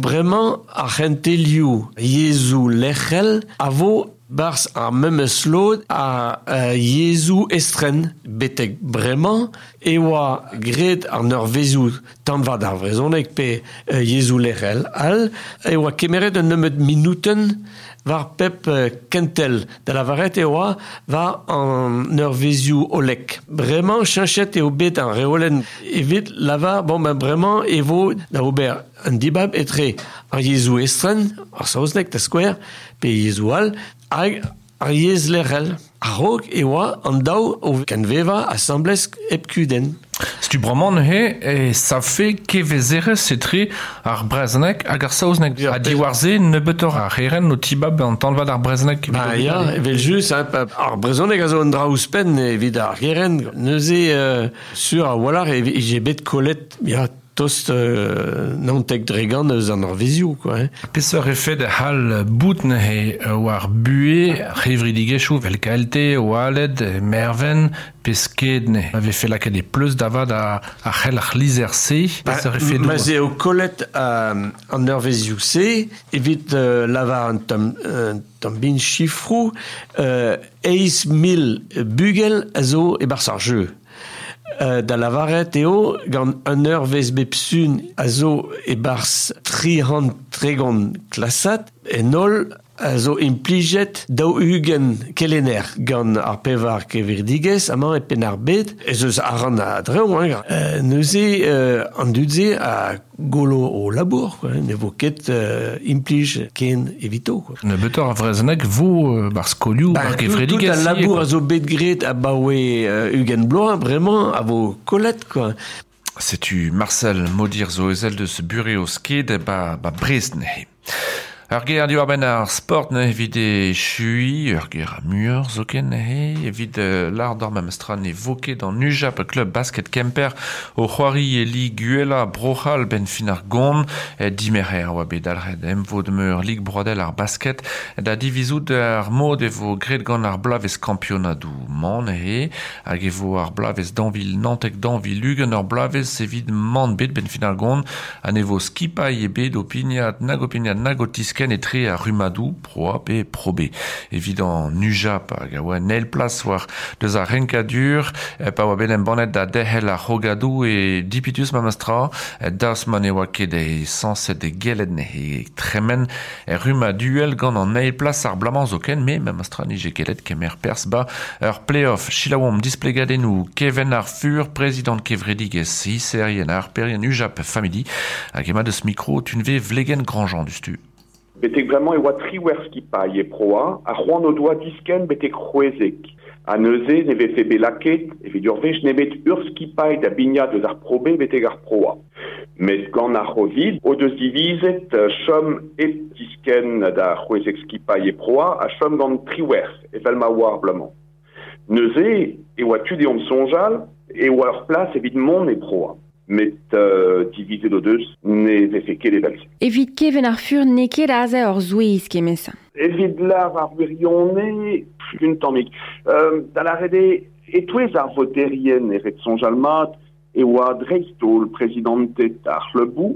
bremañ ar c'hentelioù yezhoù lec'hel a vo barzh ar memes lod a yezhoù estren betek bremañ e oa graet an eurvezioù tanvad ar vrezhoneg pe yezhoù lec'hel all e oa kemeret un nebeud minutenn war pep kentel da lavaret e oa war an eurvezioù olek. Bremañ cheñchet eo bet an reolenn evit lavar bon ben bremañ e vo da ober un dibab etre ar yezhoù estren, ar saozneg da skouer, pe yezhoù all, hag ar yezh lec'hel. A-raok e oa an daou o kenvevañ asambles hep kudenn. Setu bremañ neuze e savfe kevezerezh etre ar brezhoneg hag ar saozneg. Ha diwar-se nebeutoc'h ar c'herent o tibab an tanvad ar brezhoneg. Ba ya, evel-just, ar brezhoneg a zo un dra ouzhpenn evit ar gerent. Neuze, sur a-walc'h e vije bet kollet ya, tost 90% eus an eurvezioù, quoi. Hein. Peseurt efed a c'hall bout neuze war buhez c'hevredigezhioù vel KLT, Oaled, Merven, pe sked neuze a vefe lakaet e pleuz da vat ar c'hell ar lizer-se. Peseurt efedoù? Ma 'z eo kollet an eurvezioù-se evit lavar un tamm bin chifroù, 8 000 bugel a zo e-barzh ar jeu. Da lavaret eo gant un eurvezh bep sun a zo e-barzh 330 klasad en holl a zo implijet 40 kelenner gant ar pevar kevredigezh amañ e Penn-ar-Bed ez eus arc'hant a-dreñv hein. Neuze an dud-se a gollo o labour, quoi, ne vo ket implij ken evito, quoi. Nebeutoc'h a vrezhoneg vo bar skolioù, bar kevredigezh. Tout al labour a zo bet graet abaoe 20 bloaz bremañ a vo kollet, quoi. Setu Marcel Modir zo ezel deus bureo sked ba Brest neuze. Ur ger diwar-benn ar sport neuze evit echuiñ, ur ger a muioc'h zoken neuze, evit lâr d'ar memestra ne vo ket an UJAP Club Basket Kemper o c'hoari e Lig Uhelañ Bro-C'hall ben fin ar gont, dimerc'her oa bet dalc'het emvod meur Lig Broadel ar basket da divizout ar mod e vo graet gant ar bloavezh kampionadoù man neuze, hag e vo ar bloavezh dañvil nantek dañvil ugent ur bloavezh evit man bet ben fin ar gont, ha ne vo skipailh ebet o pignat nag o pignat nag o tiskenn etre ar rummadoù Pro A pe Pro B. Evit an UJAP hag a oa en eil plas war deus ar renkadur, pa oa bet embannet da derc'hel ar c'hrogadoù e dipitus memestra, daoust ma ne oa ket e sañset e gellet neuze tremen er rummaduel gant an eil plas ar bloaz-mañ zoken, met memestra nije gellet kemer perzh ba ur play-off. Selaouomp displegadennoù Keven ar Fur, prezidant kevredigezh hiserien ar perien UJAP Family, hag ema deus mikro Tunve Vlegen Grandjean dustu. Betek bremañ e oa triwec'h skipailh e Pro A, ha c'hoant o doa diskenn betek 16. Ha neuze ne vefe bet lakaet, evit ur wech nemet ur skipailh da bignat eus ar Pro B betek ar Pro A. Met gant ar C'hovid o deus divizet chom hep diskenn da 16 skipailh e Pro A ha chom gant 18 evel ma oa ar bloaz-mañ. Neuze e oa tu deomp soñjal e oa ur plas evit mont e Pro A. Met divizet o deus ne vefe ket evel-se. Evit Keven ar Fur n'eo ket aze ur souezh kement-se. Evit lâr ar wirionez, un tammig. Da lâret eo, e-touez ar voterien e ret soñjal mat e oa dreist-holl prezidanted ar c'hleuboù,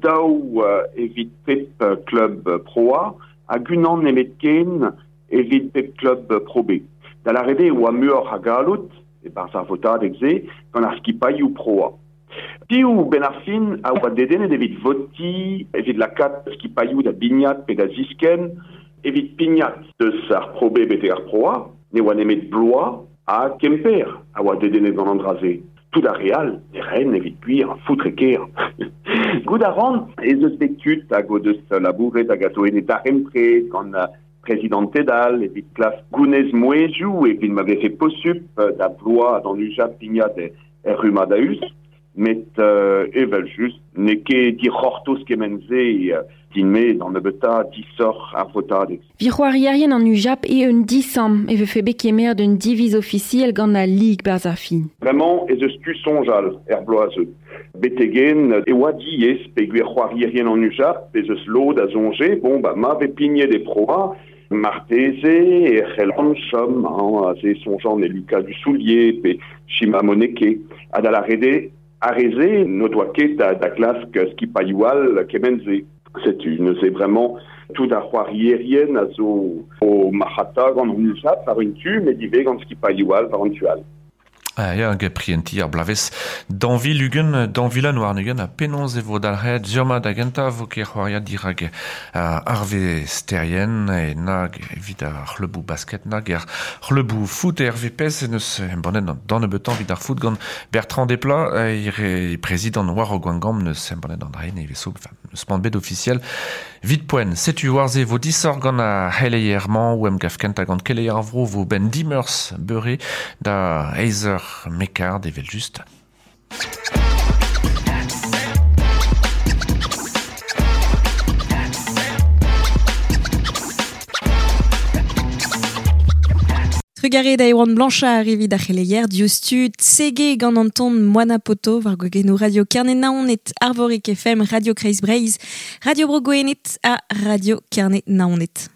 daou evit pep klub Pro A hag unan nemetken evit pep klub Pro B. Da lâret eo e oa muioc'h a galloud, e-barzh ar votadeg-se, gant ar skipailhoù Pro A. Piv ben ar fin a oa dedennet evit votiñ, evit lakaat skipailhoù da bignat pe da ziskenn, evit pignat deus ar Pro B betek ar Pro A, ne oa nemet Blois ha Kemper a oa dedennet gant an dra-se. Tout ar re all ne raent evit gwir foutre ker. Goût a ran ez eus bet tud hag o deus labouret hag a zo en e darempred gant prezidanted all evit klask gounez mouezhioù evit ma vefe posupl da Blois ha d'an UJAP pignat er rummad a-us. Met evel just, n'eo ket dic'hortoz kement-se din-me d'an nebeutañ disoc'h ar votadeg. Vi c'hoarierien an UJAP e un disam e vefe bet kemer d'un diviz ofisiel gant al lig barzh ar fin. Bremañ ez eus tu soñjal er bloaz-se. Betegen e oa diaes peogwir c'hoarierien an UJAP ez eus lod a soñje, bon, ba ma vez pignet e proa, marteze e c'hellan chom, hein, aze soñjan e Lucas Dussoulier pe Chima Moneke, ha da lâret eo ar re-se n'o doa ket da glask skipailhoù all kement-se. Setu neuze bremañ tout ar c'hoarierien a zo o marc'hata gant an UJAP war un tu, met ivez gant skipailhoù all war an tu all. Ah, ya, hag prientiñ ar bloavezh dañvil ugent, dañvilan warn-ugent, ha penaos e vo dalc'het sur-mat da gentañ vo ket c'hoariad dirak arvesterien e nag evit ar c'hleuboù basket nag er c'hleuboù foot RVPS en eus embannet d'an nebeutañ evit ar foot gant Bertrand Desplat, e prezidant war Gwengamp neus embannet an dra-se nevez zo, enfin, neus mant bet ofisiel Vit poent, setu war-se vo disoc'h gant ar c'heleier-mañ o emgav kentañ gant keleier ar vro vo benn dimeurzh beure da eizh eur mekard evel-just. Trugarez da Erwan Blanchard evit ar c'heleier diouzhtu sege gant an ton Moana Poto war gwagennoù Radio Kerne-Naoned, Arvorig FM, Radio Kreiz Breizh, Radio Bro Gwened ha Radio Kerne-Naoned.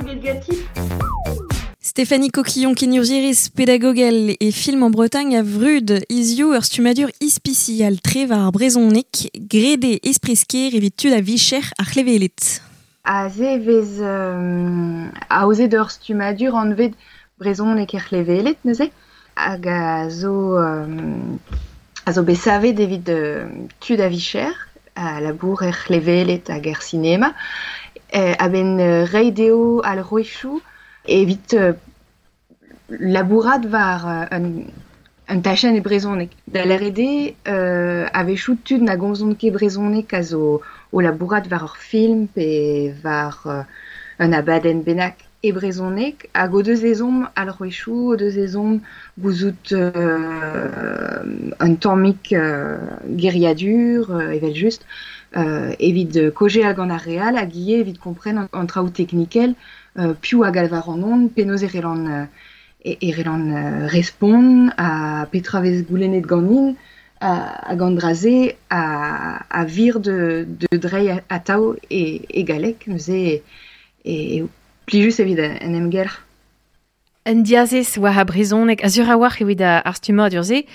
Kroget ganti. Stéphanie Coquillon kenurzhierez pedagogel e Film en Bretagne a vrud hiziv ur stummadur ispisial tre war ar brezhoneg, graet eo espresker evit tud a vicher ar c'hleveled. Aze vez aozet ur stummadur anvet brezhoneg er c'hleveled neuze, hag a zo a zo bet savet evit tud a vicher, a labour er c'hleveled hag er sinema, a-benn reiñ dezho alc'hwezhioù evit labourat war un tachenn e brezhoneg. Da lâret eo a-wechoù tud na gomzont ket brezhoneg a zo o labourat war ur film pe war un abadenn bennak e brezhoneg hag o deus ezhomm alc'hwezhioù, o deus ezhomm gouzout un tammig geriadur evel-just evit kaozeal gant ar re all hag ivez evit kompren an traoù teknikel piv a galv ar an penaos e c'hellan respont ha petra vez goulennet ganin hag an dra-se a vir de dreiñ atav e galleg neuze e plijus evit en emgelc'h. Un diazez war ar brezhoneg a sur a-walc'h evit ar stummadur-se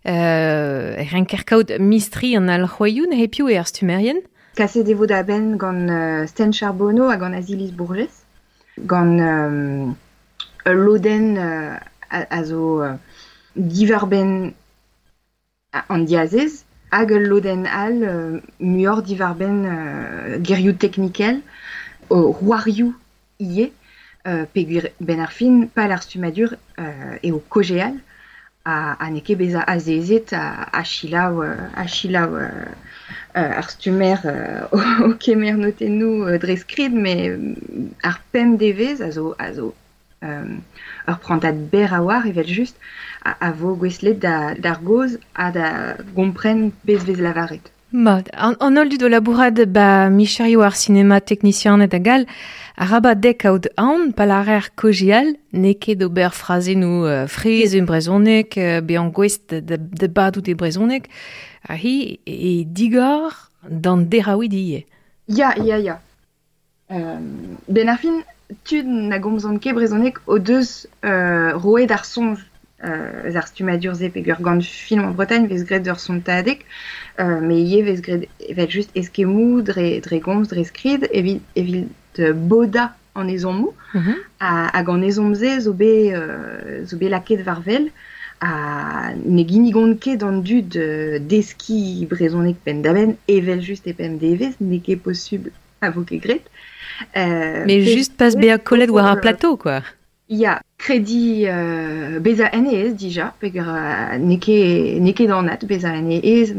renker kaout mistri an alc'hwezhioù neuze piv eo ar stummerien? Kaset e vo da benn gant Sten Charbonneau hag gant Aziliz Bourgès. Gant ul lodenn a zo diwar-benn an diazez hag ul lodenn all muioc'h diwar-benn gerioù teknikel, c'hoarioù ivez, peogwir benn ar fin pal ar stummadur eo kaozeal ha n'eo ket bezañ azezet ha selaou ar stummer o kemer notennoù dre skrid, met ar pemp devezh a zo ur prantad berr a-walc'h evel-just a vo gouestlet d'ar gaoz ha da gompren pezh vez lavaret. Mat, an holl dud o labourat ba micherioù ar sinema teknisianed hag all, arabat dezhe kaout aon pa lârer kaozeal n'eo ket ober frazennoù fraezh en brezhoneg, bezañ gouest da badout e brezhoneg, ha hi e digor d'an deraouidi ivez. Ya, ya, ya. Ben ar fin, tud na gomzont ket brezhoneg o deus roet ar soñj eus ar stummadur-se peogwir gant Film en Bretagne vez graet ur sontadeg, met ivez vez graet evel-just eskemmoù dre gomz, dre skrid, evit bodañ an ezhommoù. Hag an ezhomm-se zo bet lakaet war-wel ha ne ginnigont ket an dud deskiñ brezhoneg penn-da-benn evel-just e pemp devezh, n'eo ket posubl a vo ket graet. Mais just pas bezañ kollet war ar plateau, quoi. Ya, krediñ bezañ en e aes dija, peogwir n'eo ket anat bezañ en e aes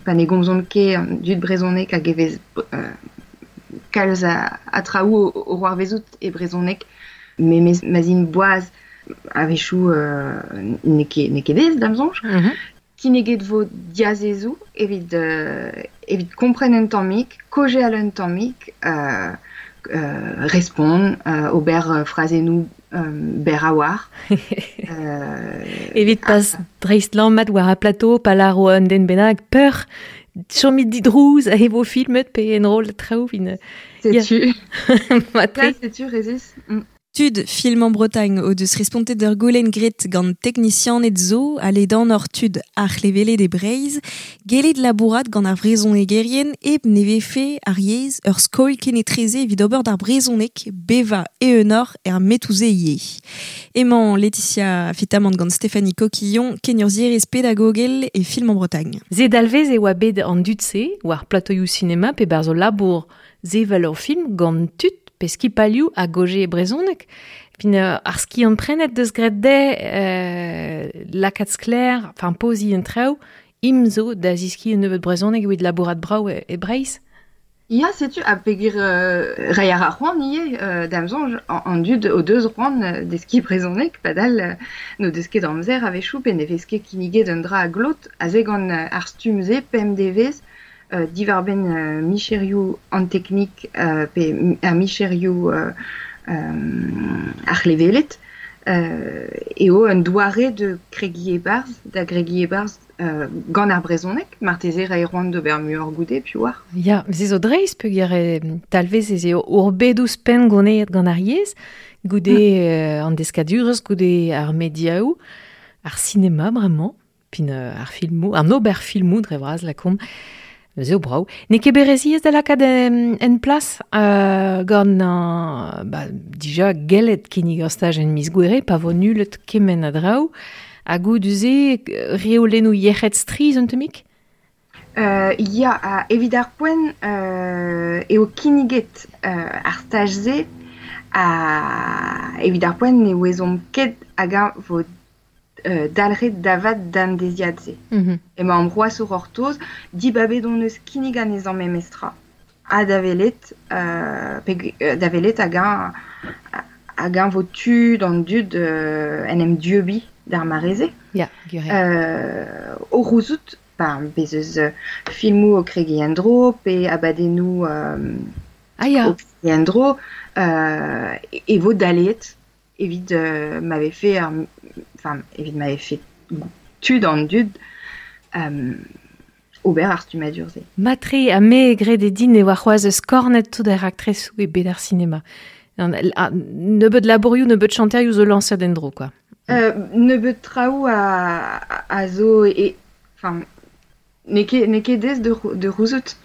pa ne gomzont ket an dud brezhoneg hag e vez kalz a traoù o c'hoarvezout e brezhoneg, memes ma'z int boaz a-wechoù n'eo ket aes da'm soñj. Kinniget vo diazezoù evit kompren un tammig, kaozeal un tammig, respont, ober frazennoù berr a-walc'h. Evit pas dreistlammat war ar plateau, pa lâro un den bennak peur, chomit didrouz e vo filmet pe enroll traoù vin. Setu. Setu, rezis. Tud Film en Bretagne o deus respontet d'ur goulenn graet gant teknisianed zo ha ledanoc'h tud ar c'hleveled e Breizh, gellet labourat gant ar vrezhonegerien hep ne vefe ar yezh ur skoilh kenetreze evit ober d'ar brezhoneg bevañ eeunoc'h er metoù-se ivez. Emañ Laetitia Fitamant gant Stéphanie Coquillon, kenurzhierez pedagogel e Film en Bretagne. Se dalvez e oa bet an dud-se war platoioù sinema pe barzh o labour sevel ur film gant tud pe skipalioù a goje e brezhoneg. Fin ar skiant prenet deus graet dezhe lakaat sklaer, enfin poziñ an traoù, im zo da ziskiñ un nebeud brezhoneg evit labourat brav e Breizh. Ya, setu, ha peogwir reiñ a ra c'hoant ivez da'm soñj an dud o deus c'hoant deskiñ brezhoneg, padal n'o deus ket amzer a-wechoù pe ne vez ket kinniget un dra a glot aze gant ar stumm-se pemp devezh diwar-benn micherioù an teknik pe ar micherioù ar c'hleveled. Eo un doare de kregi e-barzh, da gregi e-barzh gant ar brezhoneg, marteze ra c'hoant d'ober muioc'h goude, piv oar. Ya, se zo dreist peogwir talvez ez eo ur bed ouzhpenn goneet gant ar yezh, goude an deskadurezh, goude ar mediaoù, ar sinema bremañ, pin ar filmoù, an ober filmoù dre vras lakaomp, Neuze eo brav. N'eo ket bet re ziaes da lakaat en plas gant ba, dija gellet kinnig ur staj en miz Gouere pa vo nullet kement a draoù. Ha goude-se reolennoù yec'hed strizh un tammig? Ya, evit ar poent eo kinniget ar staj-se ha evit ar poent ne ouezomp ket hag-eñ vo dalc'het da vat d'an deiziad-se. Emaomp c'hoazh o c'hortoz, dibabet hon eus kinnig anezhañ memestra. Ha da welet, da welet hag-eñ vo tu d'an dud en em dieubiñ d'ar mare-se. Ya, gwir eo. O c'houzout, ba, bez eus filmoù o kregiñ en-dro pe abadennoù o kregiñ en-dro, e vo daleet evit ma vefe ar, enfin, evit ma vefe tud an dud ober ar stummadur-se. Matre ha me grede din e oa c'hoazh eus kornet tout ar raktresoù e bed ar sinema. Nebeut labourioù, nebeut chanterioù zo lañset en-dro, quoi. Nebeut traoù a zo e, enfin, n'eo ket aes de c'houzout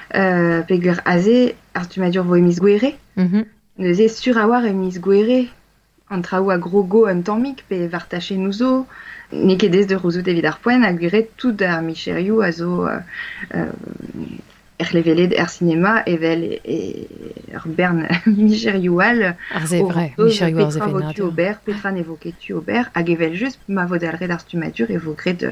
peogwir aze ar stummadur vo e miz Gouere. Neuze sur a-walc'h e miz Gouere an traoù a grogo un tammig pe war tachennoù zo. N'eo ket aes de c'houzout evit ar poent ha gwir eo tout ar micherioù a zo er c'hleveled er sinema evel ur bern micherioù all. Ar se vrai, micherioù ar petra vo tu ober, petra ne vo ket tu ober, hag evel-just ma vo dalc'het ar stummadur e vo graet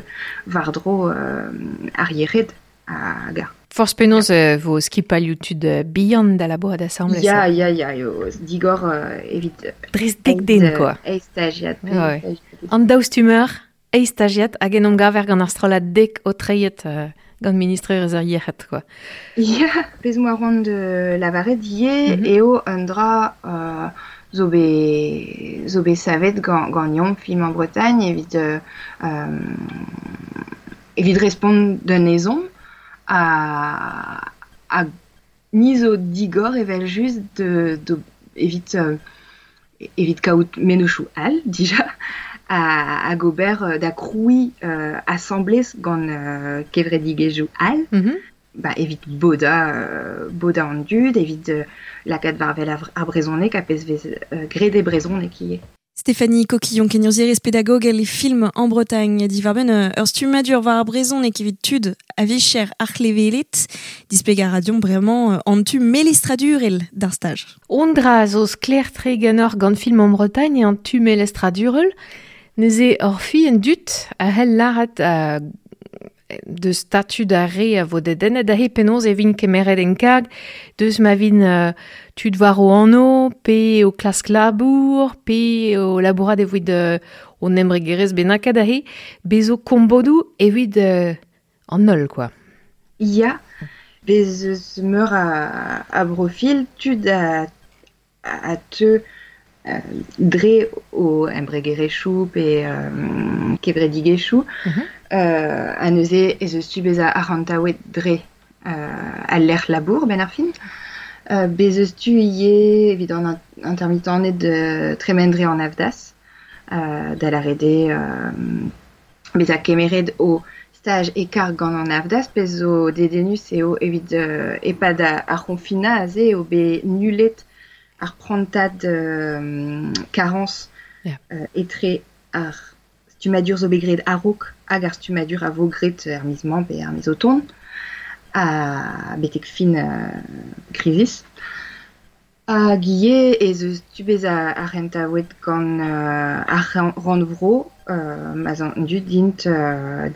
war-dro ar yec'hed hag ar. Forzh penaos vo skipailhoù tud bihan da labourat asambles. Ya, ya, ya, eo digor evit... Dreist dek den, quoi. Eizh stajiad. Ouais. An daou stummer, eizh stajiad, hag en omgaver gant ar strollad dek o treiet gant ministrerezh ar yec'hed, quoi. Ya, pezh 'moa c'hoant de lavaret ivez eo un dra zo bet savet ganeomp Film en Bretagne evit evit respont d'un ezhomm ha ni zo digor evel-just evit evit kaout mennozhioù all dija hag ober da krouiñ asambles gant kevredigezhioù all. Ba, evit bodañ an dud, evit lakaat war wel ar brezhoneg ha pezh vez graet e brezhoneg ivez. Stéphanie Coquillon, kenurzhierez pedagogel e Film en Bretagne, diwar-benn ur stummadur war ar brezhoneg evit tud a vicher ar c'hleveled, displegañ a ra deomp bremañ an tu melestradurel d'ar staj. Un dra zo sklaer-tre ganeoc'h gant Film en Bretagne an tu melestradurel, neuze ur fi en dud a c'hell lâret deus statud ar re a vo dedennet aze penaos e vin kemeret en karg, deus ma vin tud war o anv, pe o klask labour, pe o labourat evit o embregerezh bennaket aze, bez zo kombodoù evit an holl, quoi. Ya, bez eus meur a brofil, tud a teu dre o embregerezhioù pe kevredigezhioù, ha neuze ez eus tu bezañ arc'hantaouet dre al lec'h labour benn ar fin. Bez eus tu ivez evit an intermittented tremen dre an AFDAS, da lâret eo bezañ kemeret o staj e karg gant an AFDAS, pezh zo dedennus eo evit e-pad ar c'honfinañ aze eo bet nullet ar prantad karañs etre ar stummadur zo bet graet a-raok hag ar stummadur a vo graet er miz-mañ pe er miz o tont, ha betek fin krizis. Hag ivez ez eus tu bezañ arc'hantaouet gant ar rannvro ma'z an dud int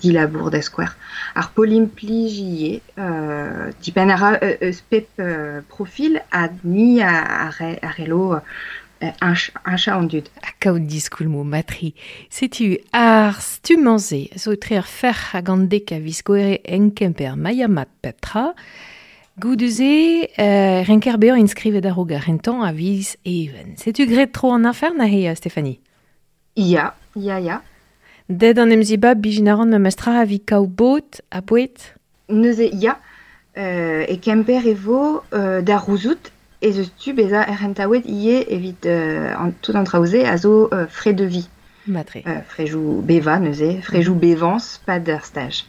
dilabour da skouer. Ar pol implij ivez, dipenn a ra eus pep profil hag ni a c'hello heñchañ an dud. Ha kaout diskoulmoù matri. Setu ar stummañ-se zo etre ar ferc'h hag an dek a viz Gouere en Kemper Maiamat pep tra. Goude-se, renker bezañ inskrivet a-raok ar c'hentañ a viz Even. Setu graet tro an afer neuze, Stéphanie? Ya, ya, ya. Ded an emziba bijin aran memestra a vi kaou bot a bouet? Neuze, ya, e Kemper e vo da rouzout ez eus tu beza errentaouet ie evit an, tout an traoze a zo frais de vie. Matre. Frejou beva neuze, frejou bevans, pas d'ar stage.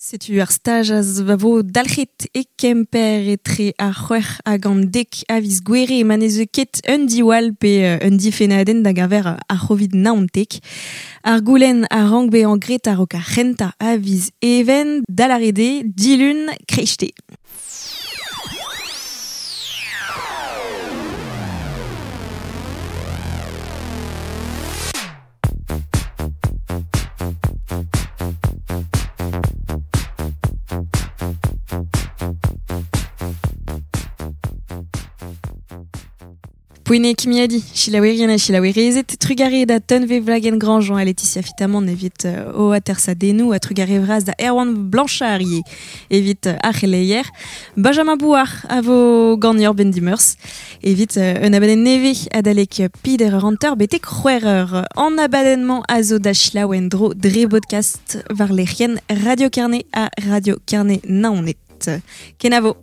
Setu ar staj az va vo dalc'het e Kemper etre ar c'hwec'h hag an dek a viz gwere ma ne zeu ket un diwall pe un difennadenn da gaver ar c'hovid naontek. Ar goulenn a rank bezañ graet a-raok ar c'hentañ a viz even dalarede dilun kreiste. Poene kimiadi, chilaouerien ha chilaouerezet, trugare da Tunve Vlagen Grandjean ha Laetitia Fitamant evit o atersa denou ha trugare vraz da Erwan Blanchard evit ar c'heleier. Benjamin Bouard a vo gagneur ben dimeurs evit un abadenn neve adalek pider ur hanter betek c'hwec'h eur. An abadenn-mañ a zo da chilaouen dro dre podcast war lec'hienn Radio Carnet ha Radio Carnet Naoned. Kenavo.